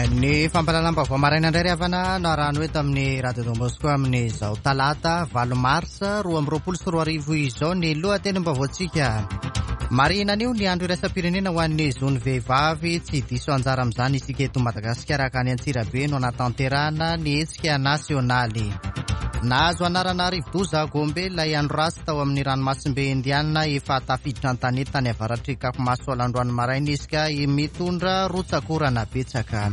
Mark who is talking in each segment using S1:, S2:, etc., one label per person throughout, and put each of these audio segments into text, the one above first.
S1: Ny fampahalalam-baovao maraina indray ry havana no arahano eto amin'ny Radio Don Bosco amin'izao talata 8 marsa 2022 izao ny lohatenim-baovaontsika. Marihina anio ny andro iraisam-pirenena ho an'ny zon'ny vehivavy, tsy diso anjara amin'izany isika eto Madagasikara ka any Antsirabe no anatanterahana ny hetsika nasionaly. Nahazo anarana rivodoza Gombe ilay andro ratsy tao amin'ny ranomasimbe Indiana efa tafiditra an-tanety tany avaratr'i Cap Masoala androany maraina izy ka mitondra rotsak'orana betsaka.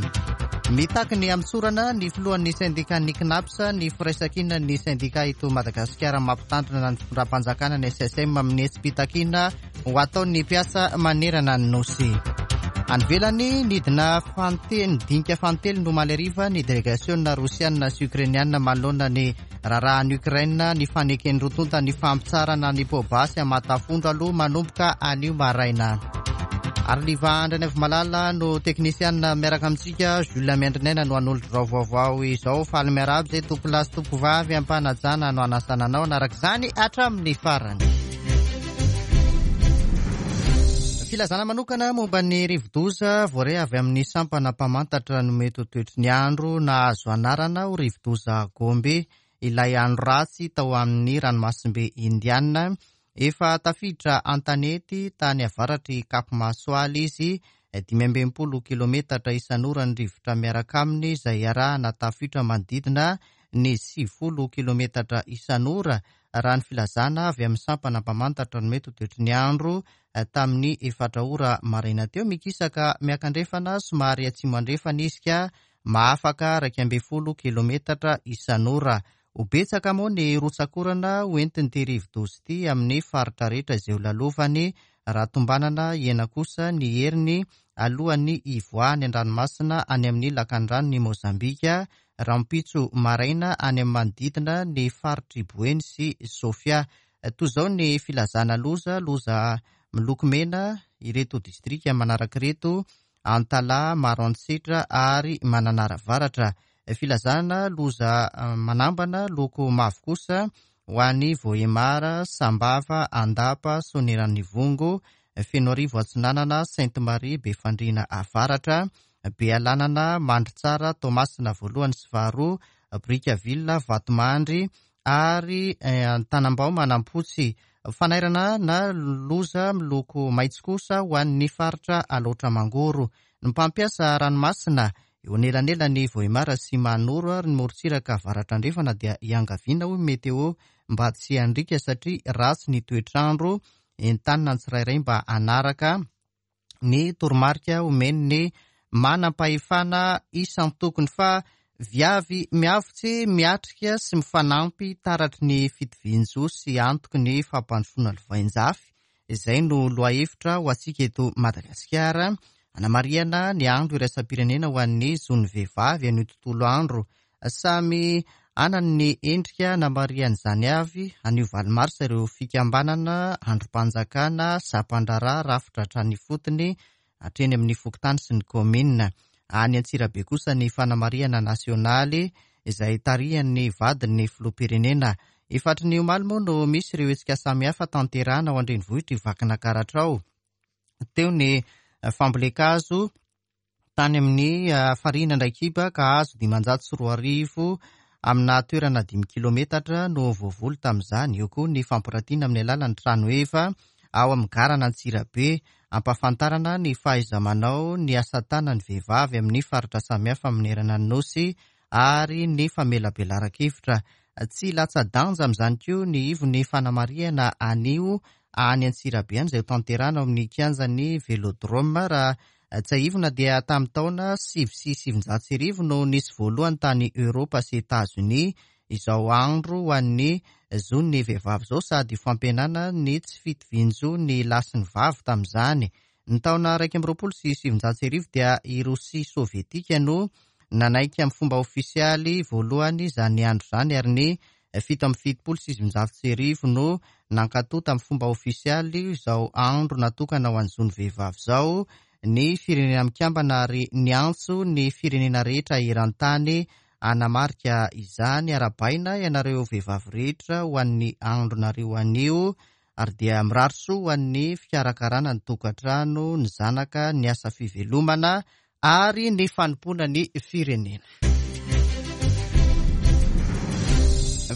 S1: Mitaky ny hamotsorana ny filohan'ny sendikan'ny Cnaps ny firaisankinan'ny sendika eto Madagasikara mampitandrina ny fitondram-panjakana ny SSM amin'ny hetsi-pitakiana ho ataon'ny mpiasa manerana ny Nosy. Any ivelany, nidina fantelo, dinika fantelo no omaly hariva ny delegasiona rosiana sy ukrainiana manoloana ny raharahan'i Ukraine, ny faneken'ny roa tonta ny fampitsarana ny poa-basy aman-tafondro aloha manomboka anio maraina. Ary Liva Andrianaivomalala no teknisianina miaraka amintsika, Jules Miandrinaina no hanolotra izao vaovao izao. Faly miarahaba izay tompolahy sy tompovavy am-panajana no hanasana anao hanaraka izany hatramin'ny farany. Filazana manokana momba ny rivodoza voaray avy amin'ny sampana mpamantatra no mety ho toetry ny andro nahazo anarana ho rivodoza Gombe ilay andro ratsy tao amin'ny ranomasimbe Indiana. Efa tafiditra an-tanety tany avaratr'i Cap Masoala izy, 65 kilometatra isan'ora ny rivotra miaraka aminy izay iarahana tafiotra manodidina ny 90 kilometatra isan'ora raha ny filazana avy amin'ny sampana mpamantatra ny mety ho toetry ny andro tamin'ny efatra ora maraina teo. Mikisaka miakandrefana somary atsimo andrefana izy ka mahafaka 11 kilometatra isan'ora. Ho betsaka moa ny rotsak'orana ho entin'ity rivodoza ity amin'ny faritra rehetra izay ho lalovany raha tombanana hihena kosa ny heriny alohan'ny hivoahany an-dranomasina any amin'ny lakandranon'i Mozambika rahampitso maraina any amin'ny manodidina ny faritr'i Boeny sy Sofia. Toy izao ny filazana loza, loza miloko mena ireto distrika manaraka ireto, Antalaha, Maroantsetra ary Mananara Avaratra. Filazana loza manambana loko mavo kosa ho an'i Vohemar, Sambava, Andapa, Soanierana-Ivongo, Fenoarivo Atsinanana, Sainte Marie, Befandriana Avaratra, Bealanana, Mandritsara, Toamasina voalohany sy faharoa, Brickaville, Vatomandry ary Antanambao Manampotsy. Fanairana na loza miloko maitso kosa ho an'ny faritra Alaotra Mangoro. Ny mpampiasa ranomasina eo anelanelan'i Vohemar sy Mahanoro ary ny morontsiraka avaratra andrefana dia iangaviana hoy Météo mba tsy handriaka satria ratsy ny toetr'andro, entanina ny tsirairay mba hanaraka ny toromarika omen'ny manam-pahefana isan-tokony fa viavy miavotsy miatrika sy mifanampy taratry ny fitovian-jo sy antoky ny fampandrosoana lovainjafy. Izay no lohahevitra ho antsika eto Madagasikara hanamarihana ny andro iraisam-pirenena ho an'ny zon'ny vehivavy anio tontolo andro. Samy hanana ny endrika namarihan'izany avy anio 8 marsa ireo fikambanana, andrim-panjakana, sampan-draharaha, rafitra hatrany ifotony, hatreny amin'ny fokontany sy ny kaominina. Any Antsirabe kosa ny fanamarihana nasionaly izay tarihan'ny vadin'ny filoham-pirenena. Efa hatry ny omaly moa no misy ireo hetsika samihafa tanterahana ao an-drenivohitr'i Vakinankaratra ao. Teo ny fambolen-kazo tany amin'ny farihin'Andraikiba ka hazo 2500 amina toerana dimy kilometatra no voavoly tamin'izany. Eo koa ny fampiratiana amin'ny alalan'ny trano heva ao amin'ny garan'Antsirabe, ampahafantarana ny fahaiza-manao ny asa tanan'ny vehivavy amin'ny faritra samihafa manerana ny Nosy ary ny famelabelaran-kevitra. Tsy latsa-danja amin'izany koa ny ivon'ny fanamarihana anio any Antsirabe any izay hotanterahina ao amin'ny kianjan'ny Velodrome. Raha tsiahivina dia tamin'ny taona 1909 no nisy voalohany tany Eoropa sy Etazonia izao andro ho an'ny zon'ny vehivavy izao sady fampihenana ny tsy fitovian-jo ny lahy sy ny vavy tamin'izany. Ny taona 1921 dia i Rosia Sovietika no nanaiky amin'ny fomba ofisialy voalohany izany andro izany ary ny 1977 no nankatoa tamin'ny fomba ofisialy izao andro natokana ho an'ny zon'ny vehivavy izao ny Firenena Mikambana ary niantso ny firenena rehetra eran-tany hanamarika izany. Arahabaina ianareo vehivavy rehetra ho an'ny andronareo anio ary dia mirary soa ho an'ny fikarakarana ny tokantrano, ny zanaka, ny asa fivelomana. ary ny fanompoana ny firenena.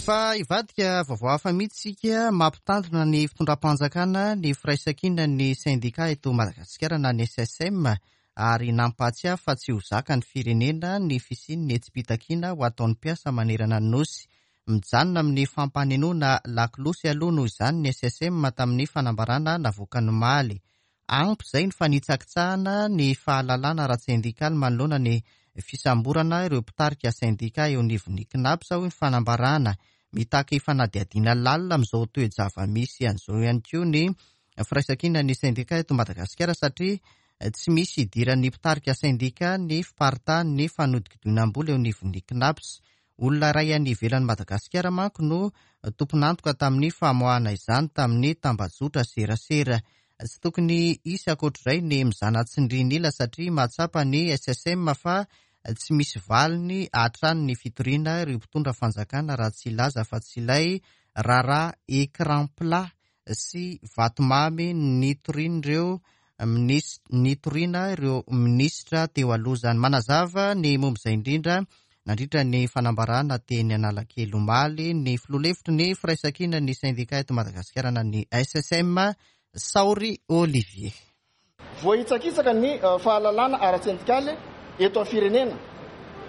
S1: Fa hivadika vaovao hafa mihitsy isika, mampitandrina ny fitondram-panjakana ny firaisankinan'ny sendika eto Madagasikara na ny SSM ary nampahatsiahy fa tsy ho zakan'ny firenena ny fisian'ny hetsi-pitakiana ho ataon'ny mpiasa manerana ny Nosy. Mijanona amin'ny fampanenoana lakolosy aloha noho izany ny SSM tamin'ny fanambarana navoakany omaly. Ampy izay ny fanitsakitsahana ny fahalalana ara-tsendikaly manoloana ny fisamborana ireo mpitarika sendika eo anivon'ny Cnaps, hoy ny fanambarana. Mitaky fanadihadiana lalina amin'izao toe-java-misy an'izao ihany koa ny firaisankinan'ny sendika eto Madagasikara satria tsy misy idiran'ny mpitarika sendika ny fiparitahan'ny fanodinkodinam-bola eo anivon'ny Cnaps. Olona iray any ivelan'i Madagasikara manko no tompon'antoka tamin'ny famoahana izany tamin'ny tambajotra serasera. Tsy tokony hisy ankoatr'izay ny mizana tsindrin'ila satria mahatsapa ny SSM fa tsy misy valiny hatrany ny fitoriana ireo mpitondra fanjakana raha tsy hilaza afa-tsy ilay raharaha écran plat sy vatomamy nitorian'ireo nitoriana ireo minisitra teo aloha izany. Manazava ny momba izay indrindra nandritra ny fanambarana teny Analakely omaly ny filoha lefitry ny firaisankinan'ny sendika eto Madagasikara na ny SSM, Saory Olivier.
S2: Voahitsakitsaka ny fahalalana ara-tsendikaly eto amin'ny firenena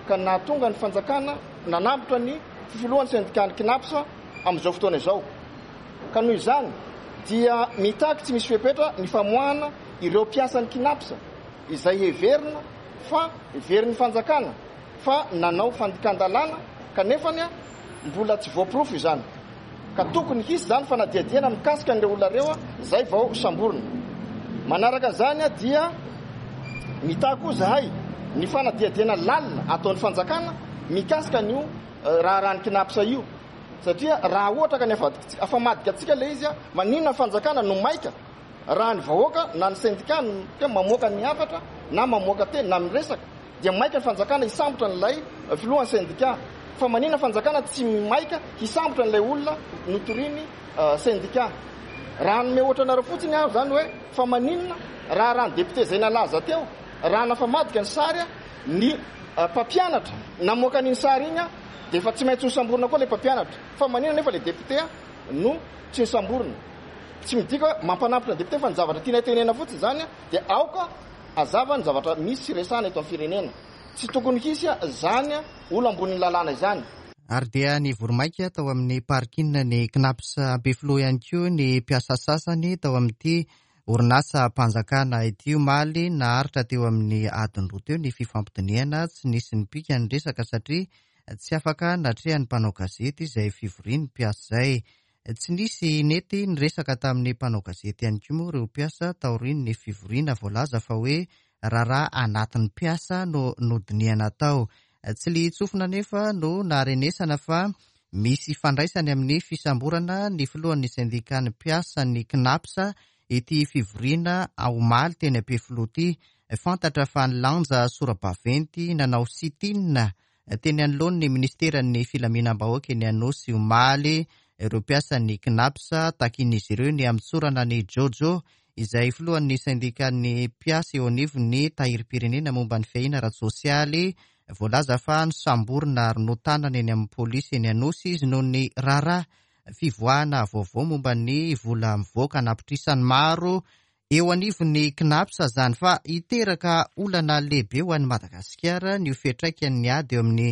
S2: ka nahatonga ny fanjakana nanambotra ny filohan'ny sendikan'ny Cnaps amin'izao fotoana izao. Ka noho izany dia mitaky tsy misy fepetra ny famoahana ireo mpiasan'ny Cnaps izay heverina fa heverin'ny fanjakana fa nanao fandikan-dalàna kanefany Mbola tsy voaporofo izany ka tokony hisy izany fanadihadiana mikasika an'ireo olona ireo izay vao samborina. Manaraka izany dia mitaky koa izahay ny fanadihadiana lalina ataon'ny fanjakana mikasika an'io raharahan'ny Cnaps io satria raha ohatra ka ny afamadika antsika ilay izy, maninona ny fanjakana no maika raha ny vahoaka na ny sendika no mamoaka ny hafatra na mamoaka teny na miresaka dia maika ny fanjakana hisambotra an'ilay filohan'ny sendika. Fa maninona fanjakana tsy maika hisambotra an'ilay olona notoriany sendika? Raha hanome ohatra anareo fotsiny aho izany hoe fa maninona raha raha ny député izay nalaza teo raha nafamadika ny sary ny mpampianatra namoaka an'iny sary iny dia efa tsy maintsy nosamborina koa ilay mpampianatra. Fa maninona nefa ilay député no tsy nosamborina? Tsy midika hoe mampanampitra ny député fa ny zavatra tianay tenena fotsiny izany dia aoka Hazava ny zavatra misy sy resahana eto amin'ny firenena. Tsy tokony hisy izany olo ambonin'ny lalàna izany.
S1: Ary dia nivory maika tao amin'ny parking ny Cnaps Ampefiloha ihany koa ny mpiasa sasany tao amin'ity orinasam-panjakana ity omaly. Naharitra teo amin'ny adiny roa teo ny fifampidinihana, tsy nisy nipika ny resaka satria tsy afaka natrehan'ny mpanao gazety izay fivorian'ny mpiasa izay. Tsy nisy nety niresaka tamin'ny mpanao gazety ihany koa moa ireo mpiasa taorian'ny fivoriana voalaza fa hoe raharaha anatin'ny mpiasa no nodinihana tao. Tsy lihin-tsofina anefa no naharenesana fa misy ifandraisany amin'ny fisamborana ny filohan'ny sendikan'ny mpiasan'ny Cnaps ity fivoriana omaly teny Ampefiloha ity. Fantatra fa nilanja sora-baventy nanao sit-in Teny anoloan'ny minisiteran'ny filaminam-bahoaka eny Anosy omaly ireo mpiasan'ny Cnaps. Takian'izy ireo ny hamotsorana an'i Jojo, izay filohan'ny sendikan'ny mpiasa eo anivon'ny Tahirim-pirenena momba ny fiahiana ara-tsosialy. Voalaza fa nosamborina ary notanana eny amin'ny polisy eny Anosy izy noho ny raharaha fivoahana vaovao momba ny vola mivoaka an'apitrisany maro Eo anivon'ny Cnaps izany fa hiteraka olana lehibe ho an'i Madagasikara ny ho fiantraikan'ny ady eo amin'i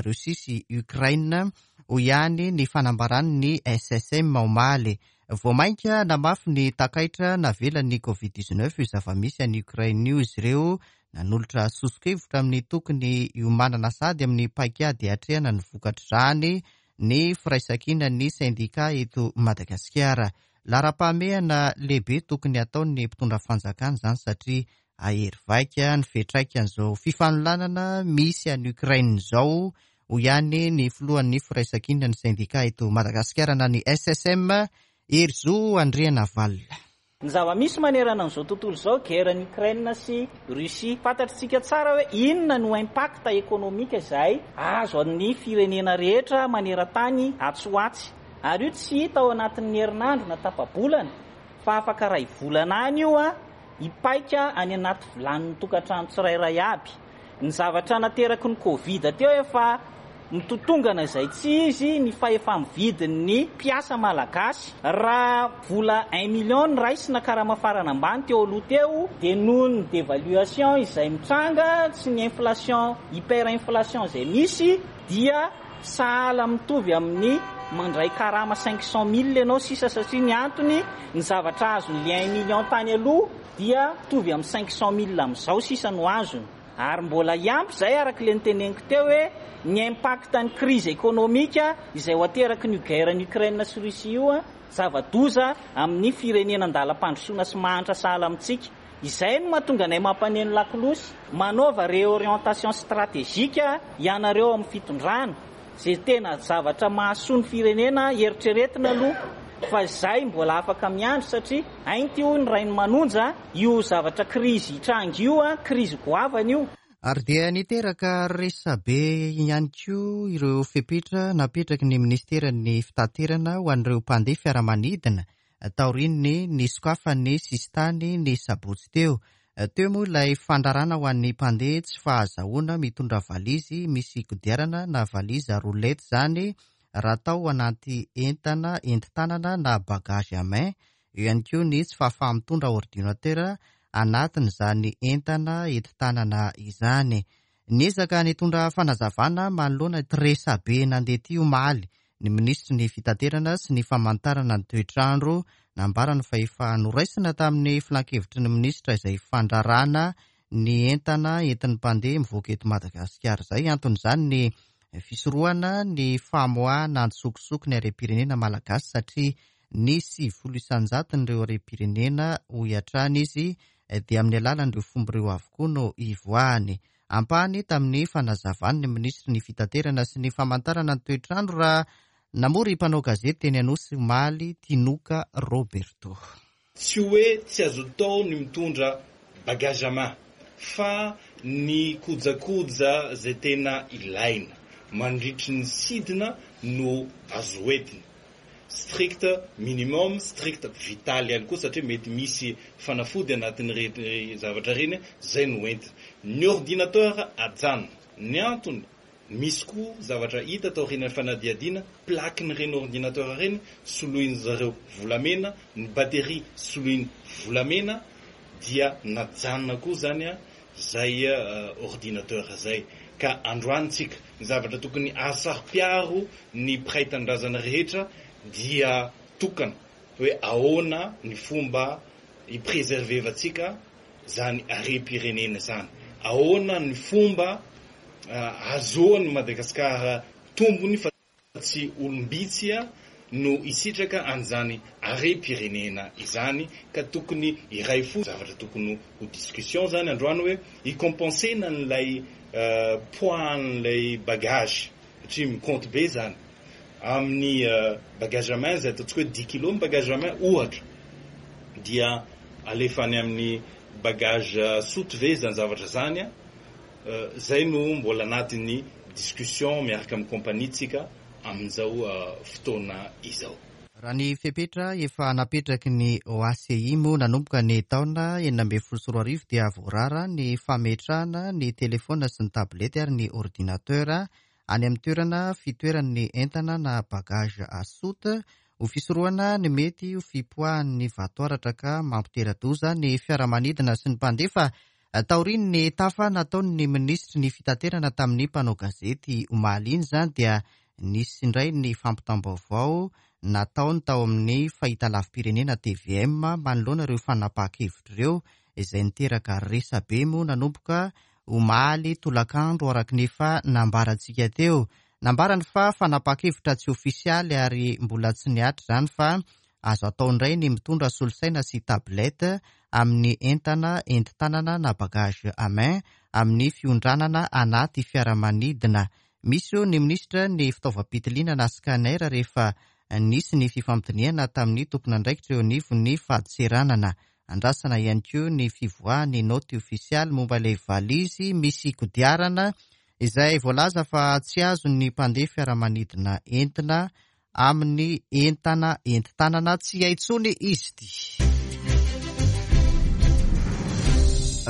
S1: Russie sy Ukraine, hoy ihany ny fanambaran'ny SSM omaly. Vao mainka namafy ny takaitra navelan'ny Covid 19 io zava-misy any Ukraine io izy ireo, nanolotra soso-kevitra amin'ny tokony hiomanana sahady amin'ny paikady hiatrehana ny vokatr'izany ny firaisankinan'ny sendika eto Madagasikara. Laharam-pahamehana lehibe tokony hataon'ny mpitondra fanjakana izany satria hahery vaika ny fiantraikan'izao fifanolanana misy any Ukraine izao, hoy ihany ny filohan'ny firaisankinan'ny sendika eto Madagasikara na ny SSM, Herizo Andrianavalona.
S3: Ny zava-misy manerana an'izao tontolo izao, guerre ny Ukraine sy Russie. Fantatr'tsika tsara hoe inona no impact économique izay azo an'ny firenena rehetra maneran-tany atsy ho atsy. Ary io tsy hita ao anatin'ny herinandro na tapa-bolana fa afaka iray volana any io hipaika any anaty vilanin'ny tokantrano tsirairay aby. Ny zavatra nateraky ny Covid teo efa mitotongana izay tsy izy ny fahefa-mividin'ny mpiasa malagasy. Raha vola un million ny raisina karama farany ambany teo aloha teo dia noho ny devaluation izay mitranga sy ny inflation, hyper-inflation izay misy dia sahala mitovy amin'ny mandray karama 500 mille ianao sisa satria ny antony ny zavatra azon'ilay un million tany aloha dia mitovy amin'ny 500 mille amin'izao sisa no azony. Ary mbola hiampy izay araka ilay noteneniko teo hoe ny impact ny crise économique izay ho ateraky ny guerre ny Ukraine sy Russie io, zava-doza amin'ny firenena andalam-pandrosoana sy mahantra sahala amintsika. Izay no mahatonga anay mampaneno lakolosy, manaova réorientation stratégique ianareo amin'ny fitondrana, izay tena zavatra mahasoa ny firenena eritreretina aloha fa izay mbola afaka miandry satria ainty hoy ny Rainimanonja io zavatra krizy hitranga io, krizy goavana io.
S1: Ary dia niteraka resabe ihany koa ireo fepetra napetraky ny minisiteran'ny fitaterana ho an'ireo mpandeha fiaramanidina taorian'ny nisokafan'ny sisintany ny sabotsy teo. Teo moa ilay fandrarana ho an'ny mpandeha tsy fahazahoana mitondra valizy misy kodiarana na valizy roulette izany raha atao anaty entana entin-tanana na bagage à main. Eo ihany koa ny tsy fahafaha-mitondra ordinateur anatin'izany entana entin-tanana izany. Niezaka nitondra fanazavana manoloana ity resabe nandeha ity omaly ny minisitry ny fitaterana sy ny famantarana ny toetr'andro. Nambarany fa efa noraisina tamin'ny filankevitry ny minisitra izay fandrarana ny entana entin'ny mpandeha mivoaka eto Madagasikara izay. Anton'izany ny fisorohana ny famoahana antsokosoko ny harem-pirenena malagasy satria ny 90 isan-jaton'ireo harem-pirenena, hoy hatrany izy, dia amin'ny alalan'ireo fomba ireo avokoa no ivoahany. Ampahany tamin'ny fanazavany ny minisitry ny fitaterana sy ny famantarana ny toetr'andro raha namory mpanao gazety teny Anosy omaly, Tinoka Roberto.
S4: Tsy hoe tsy azo atao ny mitondra bagage à main fa ny kojakoja izay tena ilaina mandritry ny sidina no azo entina. Strict minimum, strict vital ihany koa satria mety misy fanafody anatin'ireny zavatra ireny, izay no entina. Ny ordinateur ajanona. Ny antony, misy koa zavatra hita taorian'ny fanadihadiana, plaque-n'ireny ordinateur ireny soloin-dry zareo volamena, ny batterie soloiny volamena, dia najanona koa izany izay ordinateur izay. Ka androany tsika, ny zavatra tokony hahasaro-piaro ny mpiray tanindrazana rehetra dia tokana hoe ahoana ny fomba hi-preserver-vantsika izany harem-pirenena izany, ahoana ny fomba ahazoan'i Madagasikara tombony fa tsy olom-bitsy no hisitraka an'izany harem-pirenena izany ka tokony hiray fo, zavatra tokony ho discussion izany androany hoe hi-compenser-na an'ilay poids an'ilay bagage satria mi-compte be izany amin'ny bagage à main izay ataontsika hoe dix kilos ny bagage à main ohatra dia alefa any amin'ny bagage soute ve izany zavatra izany an? Zay no mbola anatin'ny discussion miaraka amin'ny compagnie tsika amin'izao fotoana izao.
S1: Raha ny fepetra efa napetraky ny OACI moa nanomboka ny taona 2016 dia voarara ny fametrahana ny telefaonina sy ny tablette ary ny ordinateur any amin'ny toerana fitoeran'ny entana na bagage à soute ho fisorohana ny mety ho fipoahan'ny vatoaratra ka mampitera-doza ny fiaramanidina sy ny mpandeha. Taorian'ny tafa nataon'ny minisitry ny fitaterana tamin'ny mpanao gazety omaly iny izany dia nisy indray ny fampitam-baovao nataony tao amin'ny fahitalavi-pirenena tvm manoloana ireo fanapahan-kevitra ireo izay niteraka resabe moa nanomboka omaly tolakandro araka ny efa nambarantsika teo. Nambarany fa fanapahan-kevitra tsy ofisialy ary mbola tsy nihatra izany fa Azo atao indray ny mitondra solosaina sy tablette amin'ny entana entin-tanana na bagage à main amin'ny fiondranana anaty fiaramanidina. Misy hoy ny minisitra ny fitaovam-pitiliana na scanner rehefa nisy ny fifampidinihana tamin'ny tompon'andraikitra eo anivon'ny fadintseranana. Andrasana ihany koa ny fivoahan'ny naoty ofisialy momba ilay valizy misy kodiarana izay voalaza fa tsy azon'ny mpandeha fiaramanidina entina amin'ny entana entin-tanana tsy hay intsony izy ity.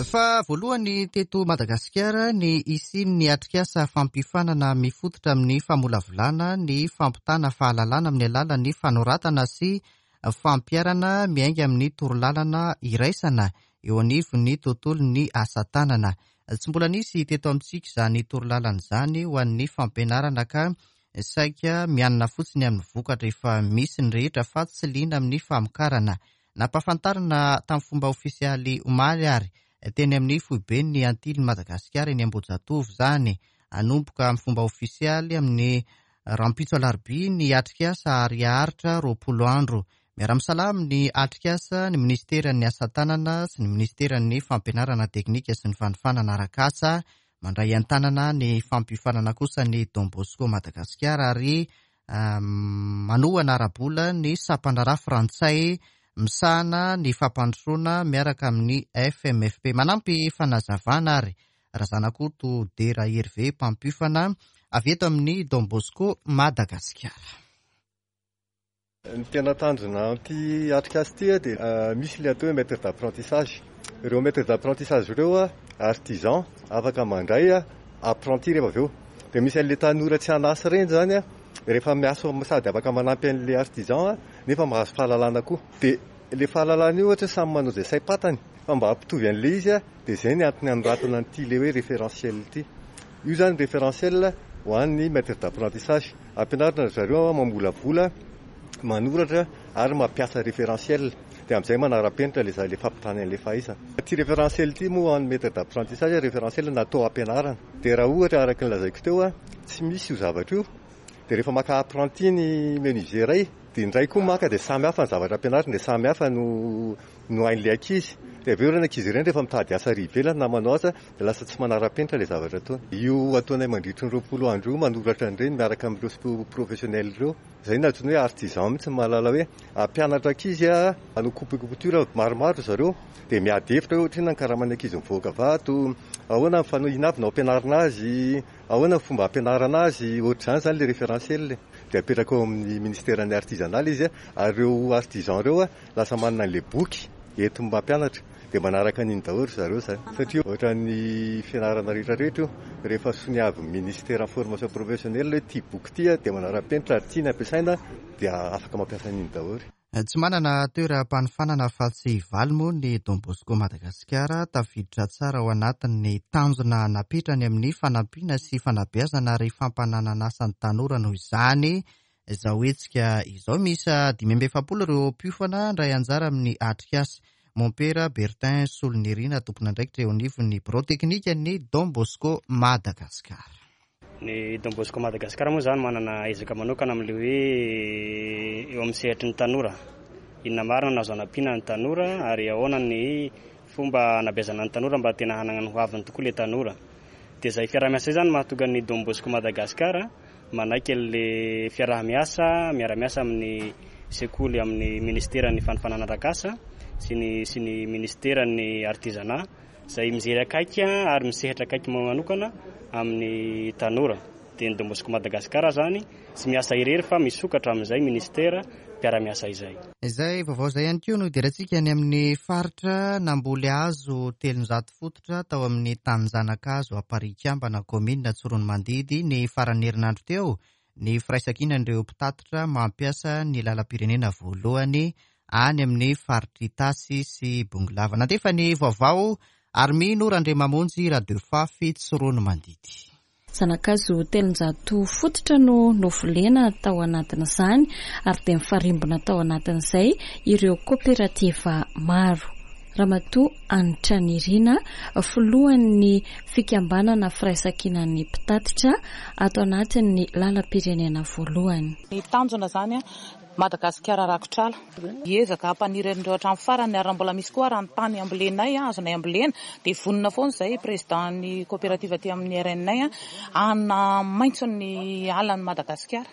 S1: Fa voalohany teto Madagasikara ny hisian'ny atrikasa fampiofanana mifototra amin'ny famolavolana ny fampitana fahalalana amin'ny alalan'ny fanoratana sy fampiharana miainga amin'ny torolalana iraisana eo anivon'ny tontolon'ny asa tanana. Tsy mbola nisy teto amintsika izany torolalana izany ho an'ny fampianarana ka saika mianina fotsiny amin'ny vokatra efa misy ny rehetra fa tsy liana amin'ny famokarana. Nampahafantarina tamin'ny fomba ofisialy omaly ary teny amin'ny foiben'ny Antilin'i Madagasikara eny Ambohijatovo izany. Hanomboka amin'ny fomba ofisialy amin'ny rahampitso alarobia ny atrikasa ary haharitra 20 andro. Miara-misalahy amin'ny atrikasa ny minisiteran'ny Asa tanana sy ny minisiteran'ny Fampianarana teknika sy ny fanofanana arak'asa. Mandray an-tanana ny fampiofanana kosa ny Don Bosco Madagasikara ary manohana ara-bola ny sampandraharaha frantsay misahana ny fampandrosoana miaraka amin'ny FMFP. Manampy fanazavana ary Razanakoto Dera Hervé mpampiofana avy eto amin'ny Don Bosco Madagasikara.
S5: Ny tena tanjona amin'ity atrikasa ity dia misy ilay atao hoe maître d'apprentissage. Ireo maître d'apprentissage ireo artisan afaka mandray apprenti rehefa avy eo. Dia misy an'ilay tanora tsy an'asa ireny izany rehefa miasa sady afaka manampy an'ilay artisan nefa mahazo fahalalana koa. Dia ilay fahalalana io ohatra samy manao izay saim-patany fa mba hampitovy an'ilay izy dia izay ny antony anoratana an'ity ilay hoe référentiel ity. Io izany référentiel ho an'ny maître d'apprentissage. Ampianarina ry zareo mamolavola, manoratra ary mampiasa référentiel. Dia amin'izay manara-penitra ilay ilay fampitana an'ilay fahaizana. Ity référentiel ity moa ho an'ny maître d'apprentissage, référentiel natao hampianarana. Dia raha ohatra araka ny lazaiko teo, tsy misy io zavatra io, dia rehefa maka apprenti ny menuisier iray, dia indray koa maka dia samy hafa ny zavatra ampianarina, dia samy hafa no no hain'ilay ankizy. Dia avy eo ireny ankizy ireny rehefa mitady asa ary ivelany na manao asa dia lasa tsy manara-penitra ilay zavatra ataony. Io ataonay mandritry ny 20 andro io manoratra an'ireny miaraka amin'ireo professionnel ireo. Izay no antsoina hoe artisan mihitsy mahalala hoe hampianatra ankizy hanao coupe couture maromaro ry zareo dia miady hevitra hoe ohatrinona ny karaman'ny ankizy mivoaka vato, ahoana ny fanao, inona avy no ampianarina azy, ahoana ny fomba ampianarana azy, ohatr'izany izany ilay référentiel. Dia apetraka ao amin'ny ministeran'ny artisanat ilay izy ary ireo artisan ireo Lasa manana an'ilay boky entiny mampianatra dia manaraka an'iny daholo ry zareo izany. Satria ohatran'ny fianarana rehetra rehetra io, rehefa soniavin'ny ministeran'ny formation professionnelle hoe ity boky ity dia manara-penitra ary ity ny ampiasaina dia afaka mampiasa an'iny daholo.
S1: Tsy manana toeram-panofanana afa-tsy valo moa ny Don Bosco Madagasikara, tafiditra tsara ao anatin'ny tanjona napetrany amin'ny fanampiana sy fanabeazana ary fampananan'asa ny tanora noho izany Izao hetsika izao, miisa 45 ireo mpiofana handray anjara amin'ny atrikasa. Mompera Bertin Solonirina, tompon'andraikitra eo anivon'ny birao teknikan'ny Don Bosco Madagascar.
S6: Ny Don Bosco Madagascar moa izany manana ezaka manokana amin'ilay hoe eo amin'ny sehatry ny tanora. Inona marina no azo anampiana ny tanora ary ahoana ny fomba anabeazana ny tanora mba tena hanana ny hoaviny tokoa ilay tanora. Dia izay fiaraha-miasa izay izany no mahatonga ny Don Bosco Madagascar Manaiky an'ilay fiaraha-miasa, miara-miasa amin'ny sekoly amin'ny ministeran'ny fanofanana arak'asa sy ny sy ny ministeran'ny artisanat izay mijery akaiky ary misehatra akaiky manokana amin'ny tanora. Dia ny Don Bosco Madagascar izany tsy miasa irery fa misokatra amin'izay ministera mpiara-miasa izay.
S1: Izay vaovao izay ihany koa no hidirantsika any amin'ny faritra namboly hazo 300 fototra tao amin'ny tanin-janakazo Amparihikambana, kaominina Tsiroanomandidy, ny faran'ny herinandro teo, ny firaisankinan'ireo mpitatitra mampiasa ny lalam-pirenena voalohany any amin'ny faritr'Itasy sy Bongolava. Nandefa ny vaovao Armino Randriamamonjy Radefafy Tsiroanomandidy.
S7: Zana-kazo 300 fototra no novolena tao anatin'izany ary dia nifarimbona tao anatin'izay ireo koperativa maro. Ramatoa Hanitra Nirina, filohan'ny fikambanana Firaisankinan'ny mpitatitra ato anatin'ny lalam-pirenena voalohany.
S8: Ny tanjona izany Madagasikara rakotr'ala. Hiezaka hampaniry an'ireo hatramin'ny farany ary raha mbola misy koa ara ny tany ambolenay, azonay ambolena, dia vonona foana izahay président-n'ny coopérative aty amin'ny RNA hanamaitso ny alan'i Madagasikara.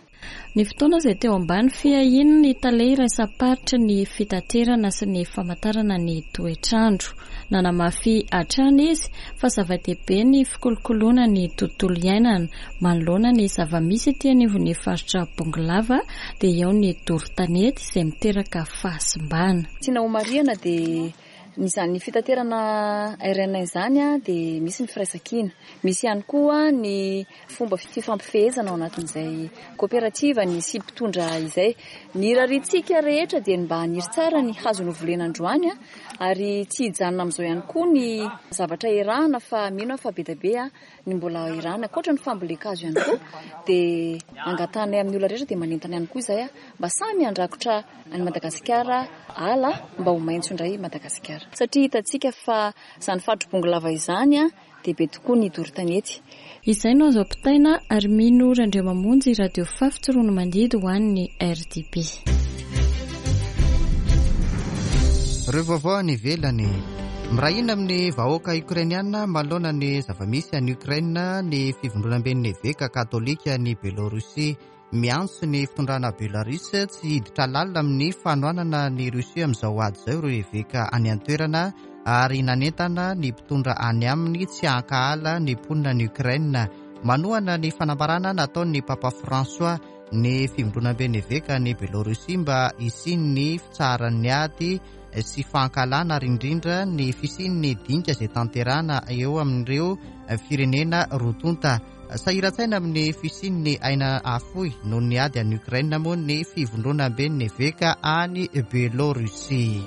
S7: Ny fotoana izay teo ambany fiahian'ny tale iraisam-paritry ny fitaterana sy ny famantarana ny toetr'andro. Nanamafy hatrany izy fa zava-dehibe ny fikolokoloana ny tontolo iainana manoloana ny zava-misy ety anivon'ny faritra Bongolava dia eo ny doro tanety izay miteraka fahasimbana.
S9: Tiana homarihana dia Izany fitaterana RN izany dia misy ny firaisankina. Misy ihany koa ny fomba fifampifehezana ao anatin'izay koperativa ny sy mpitondra izay. Ny irariantsika rehetra dia ny mba haniry tsara ny hazo novolena androany ary tsy hijanona amin'izao ihany koa ny zavatra erahana fa mino aho fa be dia be ny mbola erahana. Ankoatra ny fambolen-kazo ihany koa dia angatahanay amin'ny olona rehetra dia manentana ihany koa izahay mba samy handrakotra an'i Madagasikara ala mba ho maitso indray i Madagasikara. Satria hitantsika fa izany faritry Bongolava izany dia be tokoa ny doro tanety.
S7: Izay no azo ampitaina ary mino Randriamamonjy Radio Fafy Tsiroanomandidy ho an'ny RDB.
S1: Ireo vaovao any ivelany. Miray hina amin'ny vahoaka Ukrainiana manoloana ny zava-misy any Ukraine ny Fivondronamben'ny Eveka Katolika any Belorussie. Miantso ny fitondrana Belarus tsy hiditra lalina amin'ny fanohanana an'i Russie amin'izao ady izao ireo eveka any an-toerana ary nanentana ny mpitondra any aminy tsy hankahala ny mponina any Ukraine. Manohana ny fanambarana nataon'ny Papa François ny Fivondronamben'ny Eveka any Belorussie mba hisian'ny fitsaharan'ny ady sy fankahalana ary indrindra ny fisian'ny dinika izay tanterahana eo amin'ireo firenena roa tonta. Sahiran-tsaina amin'ny fisian'ny aina afoy noho ny ady any Ukraine moa ny fivondronamben'ny eveka any Belorussie.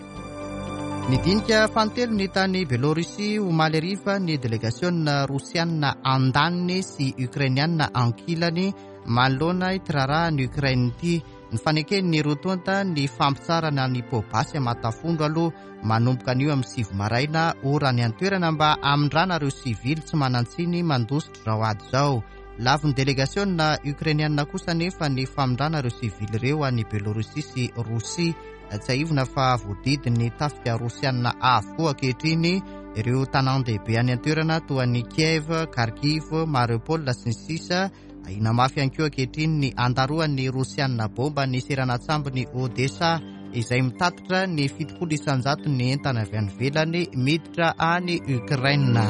S1: Nidinika fanintelony tany Belorussie omaly hariva ny delegasiona rosiana andaniny sy ukrainiana ankilany manoloana ity raharahan'i Ukraine ity. Nifaneken'ny roa tonta ny fampitsarana ny poa-basy aman-tafondro aloha manomboka anio amin'ny 9 maraina ora any an-toerana mba hamindrana ireo sivily tsy manan-tsiny mandositra izao ady izao. Lavin'ny delegasiona Ukrainiana kosa anefa ny famindrana ireo sivily ireo any Belorussie sy Rosia. Tsiahivina fa voadidin'ny tafika rosiana avokoa ankehitriny ireo tanàn-dehibe any an-toerana toa an'i Kiev, Kharkiv, Mariupol sy ny sisa Ahiana mafy ihany koa ankehitriny ny handaroan'ny Rosiana baomba ny seranan-tsambon'i Odessa, izay mitatitra ny 70 isan-jaton'ny entana avy any ivelany miditra any Ukraine.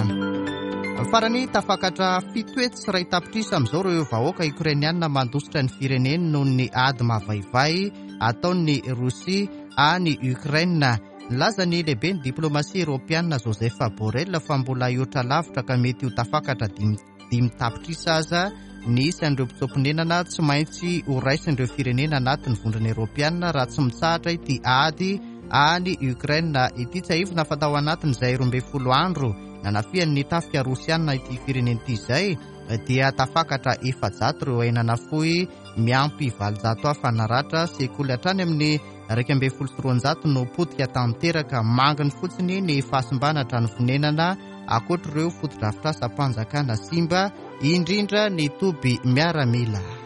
S1: Farany, tafakatra 107 tapitrisa amin'izao ireo vahoaka Ukrainiana mandositra ny fireneny noho ny ady mavaivay ataon'i Rosia any Ukraine. Nilaza ny lehiben'ny diplaomasia Eoropeana Joseph Borrell fa mbola hihoatra lavitra ka mety ho tafakatra 5 tapitrisa aza ny isan'ireo mpitsoa-ponenana tsy maintsy ho raisin'ireo firenena anatin'ny Vondrona Eoropeana raha tsy mitsahatra ity ady any Ukraine ity. Tsiahivina fa tao anatin'izay 12 andro nanafihan'ny tafika rosiana ity firenena ity izay dia tafakatra 400 ireo aina nafoy miampy 800 hafa naratra. Sekoly hatrany amin'ny 211 no potika tanteraka, manginy fotsiny ny fahasimbana trano fonenana ankoatr'ireo fotodrafitrasam-panjakana simba, indrindra ny toby miaramila.